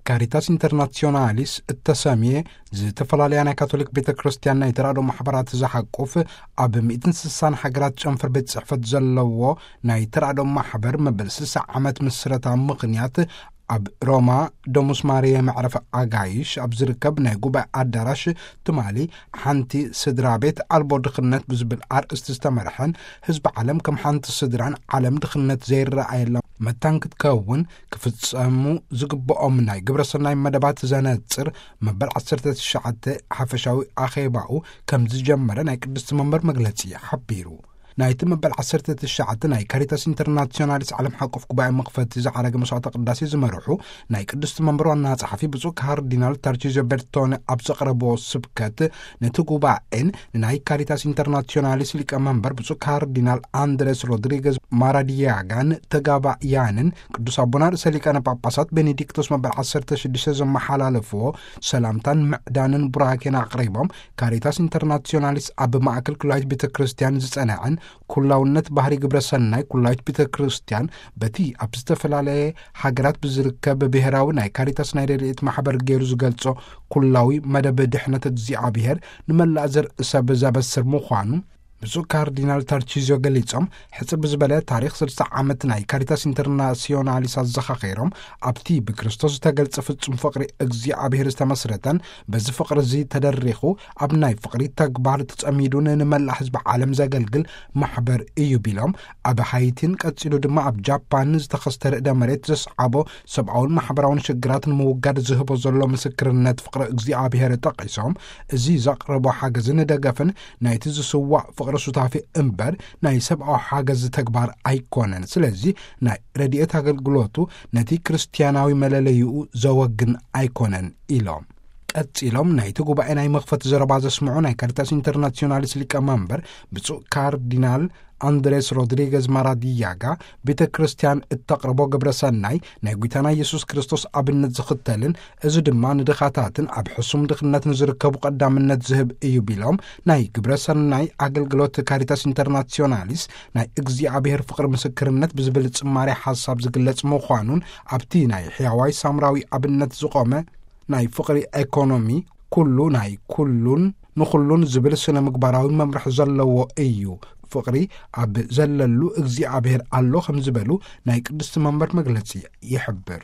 ካሪታስ ኢንተርናሲዮናሊስ እተሰምየ ዝተፈላለያ ናይ ካቶሊክ ቤተ ክርስቲያን ናይ ተራድኦ ማሕበራት ዝሓቁፍ፣ ኣብ ሚእትን ስሳን ሃገራት ጨንፈር ቤት ጽሕፈት ዘለዎ ናይ ተራድኦ ማሕበር፣ መበል ስሳ ዓመት ምስረታ ምኽንያት ኣብ ሮማ ዶሙስ ማርየ መዕረፊ ኣጋይሽ ኣብ ዝርከብ ናይ ጉባኤ ኣዳራሽ ትማሊ ሓንቲ ስድራ ቤት ኣልቦ ድኽነት ብዝብል ኣርእስቲ ዝተመርሐን፣ ህዝቢ ዓለም ከም ሓንቲ ስድራን ዓለም ድኽነት ዘይረኣየላ መታን ክትከውን ክፍጸሙ ዝግብኦም ናይ ግብረ ሰናይ መደባት ዘነጽር መበል ዓሰርተ ትሽዓተ ሓፈሻዊ ኣኼባኡ ከም ዝጀመረ ናይ ቅድስቲ መንበር መግለጺ ሓቢሩ። ናይቲ መበል ዓሰርተ ትሽዓተ ናይ ካሪታስ ኢንተርናሲዮናሊስ ዓለም ሓቆፍ ጉባኤ መኽፈቲ ዝዓረገ መስዋዕተ ቅዳሴ ዝመርሑ ናይ ቅድስቲ መንበር ዋና ጸሓፊ ብፁዕ ካርዲናል ታርቺዚዮ ቤርቶነ ኣብ ዘቕረብዎ ስብከት፣ ነቲ ጉባኤን ንናይ ካሪታስ ኢንተርናሲዮናሊስ ሊቀ መንበር ብፁዕ ካርዲናል ኣንድሬስ ሮድሪገዝ ማራዲያጋን ተጋባእያንን ቅዱስ ኣቦና ርእሰ ሊቃነ ጳጳሳት ቤኔዲክቶስ መበል ዓሰርተ ሽዱሽተ ዘመሓላለፍዎ ሰላምታን ምዕዳንን ቡራኬን ኣቕሪቦም፣ ካሪታስ ኢንተርናሲዮናሊስ ኣብ ማእከል ኩላዊት ቤተ ክርስቲያን ዝጸንዐን ኩላውነት ባህሪ ግብረ ሰናይ ኩላዊት ቤተ ክርስቲያን በቲ ኣብ ዝተፈላለየ ሃገራት ብዝርከብ ብሔራዊ ናይ ካሪታስ ናይ ረድኤት ማሕበር ገይሩ ዝገልጾ ኩላዊ መደብ ድሕነት እግዚኣብሔር ንመላእ ዘርኢ ሰብ ዘበስር ምዃኑ ብፁዕ ካርዲናል ታርቺዚዮ ገሊጾም፣ ሕጽር ብዝበለ ታሪኽ ስልሳ ዓመት ናይ ካሪታስ ኢንተርናሲዮናሊስ ኣዘኻኺሮም፣ ኣብቲ ብክርስቶስ ዝተገልጸ ፍጹም ፍቕሪ እግዚኣብሔር ዝተመስረተን በዚ ፍቕሪ እዚ ተደሪኹ ኣብ ናይ ፍቕሪ ተግባር ተጸሚዱን ንመላእ ህዝቢ ዓለም ዘገልግል ማሕበር እዩ ቢሎም፣ ኣብ ሃይቲን ቀጺሉ ድማ ኣብ ጃፓን ዝተኸስተ ርእደ መሬት ዘስዓቦ ሰብኣውን ማሕበራውን ሽግራት ንምውጋድ ዝህቦ ዘሎ ምስክርነት ፍቕሪ እግዚኣብሔር ጠቒሶም፣ እዚ ዘቕረቦ ሓገዝን ደገፍን ናይቲ ዝስዋእ ፍቕሪ ሱታፌ እምበር ናይ ሰብኣዊ ሓገዝ ተግባር ኣይኮነን። ስለዚ ናይ ረድኤት ኣገልግሎቱ ነቲ ክርስትያናዊ መለለይኡ ዘወግን ኣይኮነን ኢሎም። ቀጺሎም ናይቲ ጉባኤ ናይ መኽፈቲ ዘረባ ዘስምዑ ናይ ካሪታስ ኢንተርናሲዮናሊስ ሊቀ መንበር ብፁዕ ካርዲናል ኣንድሬስ ሮድሪገዝ ማራዲያጋ፣ ቤተ ክርስቲያን እተቕርቦ ግብረ ሰናይ ናይ ጒይታና ኢየሱስ ክርስቶስ ኣብነት ዝኽተልን፣ እዚ ድማ ንድኻታትን ኣብ ሕሱም ድኽነት ንዝርከቡ ቀዳምነት ዝህብ እዩ ቢሎም፣ ናይ ግብረ ሰናይ ኣገልግሎት ካሪታስ ኢንተርናሲዮናሊስ ናይ እግዚኣብሔር ፍቕሪ ምስክርነት ብዝብል ጽማሬ ሓሳብ ዝግለጽ ምዃኑን፣ ኣብቲ ናይ ሕያዋይ ሳምራዊ ኣብነት ዝቖመ ናይ ፍቕሪ ኤኮኖሚ፣ ኩሉ ናይ ኩሉን ንኹሉን ዝብል ስነ ምግባራዊ መምርሒ ዘለዎ እዩ። ፍቕሪ ኣብ ዘለሉ እግዚኣብሔር ኣሎ ከም ዝበሉ ናይ ቅድስቲ መንበር መግለጺ ይሕብር።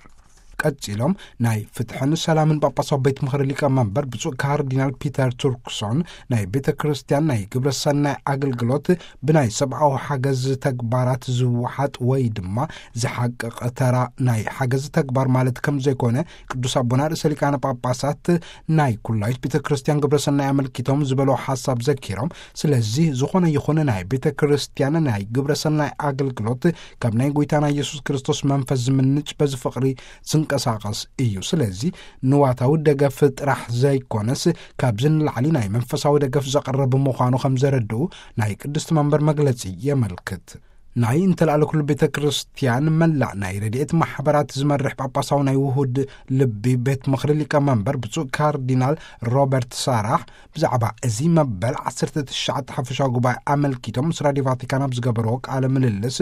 ቀጺሎም ናይ ፍትሕን ሰላምን ጳጳሳዊ ቤት ምኽሪ ሊቀ መንበር ብፁዕ ካርዲናል ፒተር ቱርክሶን፣ ናይ ቤተ ክርስቲያን ናይ ግብረ ሰናይ ኣገልግሎት ብናይ ሰብኣዊ ሓገዝ ተግባራት ዝወሓጥ ወይ ድማ ዝሓቅቕ ተራ ናይ ሓገዝ ተግባር ማለት ከም ዘይኮነ ቅዱስ ኣቦና ርእሰ ሊቃነ ጳጳሳት ናይ ኩላይት ቤተ ክርስቲያን ግብረ ሰናይ ኣመልኪቶም ዝበሎ ሓሳብ ዘኪሮም፣ ስለዚ ዝኾነ ይኹን ናይ ቤተ ክርስቲያን ናይ ግብረ ሰናይ ኣገልግሎት ካብ ናይ ጐይታና ኢየሱስ ክርስቶስ መንፈስ ዝምንጭ በዚ ፍቕሪ ዝንቀሳቐስ እዩ። ስለዚ ንዋታዊ ደገፍ ጥራሕ ዘይኮነስ ካብዚ ንላዕሊ ናይ መንፈሳዊ ደገፍ ዘቕርብ ምዃኑ ከም ዘረድኡ ናይ ቅድስቲ መንበር መግለጺ የመልክት። ናይ እንተልኣለ ኩሉ ቤተ ክርስቲያን መላእ ናይ ረድኤት ማሕበራት ዝመርሕ ጳጳሳዊ ናይ ውሁድ ልቢ ቤት ምኽሪ ሊቀ መንበር ብፁዕ ካርዲናል ሮበርት ሳራሕ ብዛዕባ እዚ መበል ዓሰርተ ትሽዓተ ሓፈሻዊ ጉባኤ ኣመልኪቶም ምስ ራድዮ ቫቲካን ኣብ ዝገበርዎ ቃለ ምልልስ፣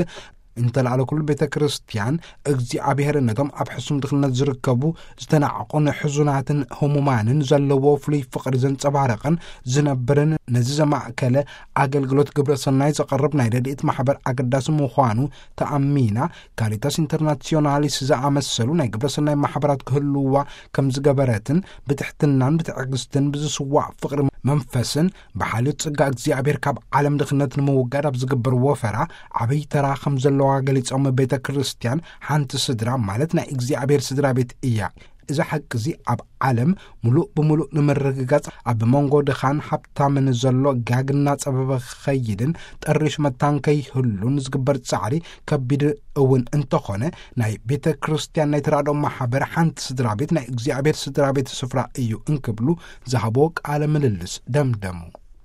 እንተልኣለ ኩሉ ቤተ ክርስቲያን እግዚኣብሔር ነቶም ኣብ ሕሱም ድኽነት ዝርከቡ ዝተናዕቑን ሕዙናትን ህሙማንን ዘለዎ ፍሉይ ፍቕሪ ዘንጸባርቕን ዝነብርን ነዚ ዘማእከለ ኣገልግሎት ግብረ ሰናይ ዘቕርብ ናይ ረድኤት ማሕበር ኣገዳሲ ምዃኑ ተኣሚና፣ ካሪታስ ኢንተርናሲዮናሊስ ዝኣመሰሉ ናይ ግብረ ሰናይ ማሕበራት ክህልውዋ ከም ዝገበረትን ብትሕትናን ብትዕግስትን ብዝስዋዕ ፍቕሪ መንፈስን ብሓይሊ ጸጋ እግዚኣብሔር ካብ ዓለም ድኽነት ንምውጋድ ኣብ ዝግበር ወፈራ ዓብይ ተራ ከም ዘለዋ ገሊጾም፣ ቤተ ክርስቲያን ሓንቲ ስድራ ማለት ናይ እግዚኣብሔር ስድራ ቤት እያ። እዚ ሓቂ እዚ ኣብ ዓለም ምሉእ ብምሉእ ንምርግጋጽ ኣብ መንጎ ድኻን ሃብታምን ዘሎ ጋግና ጸበበ ክኸይድን ጠሪሽ መታን ከይህሉን ዝግበር ጻዕሪ ከቢድ እውን እንተኾነ፣ ናይ ቤተ ክርስቲያን ናይ ተራድኦ ማሕበር ሓንቲ ስድራ ቤት ናይ እግዚኣብሔር ስድራ ቤት ስፍራ እዩ እንክብሉ ዝሃብዎ ቃለ ምልልስ ደምደሙ።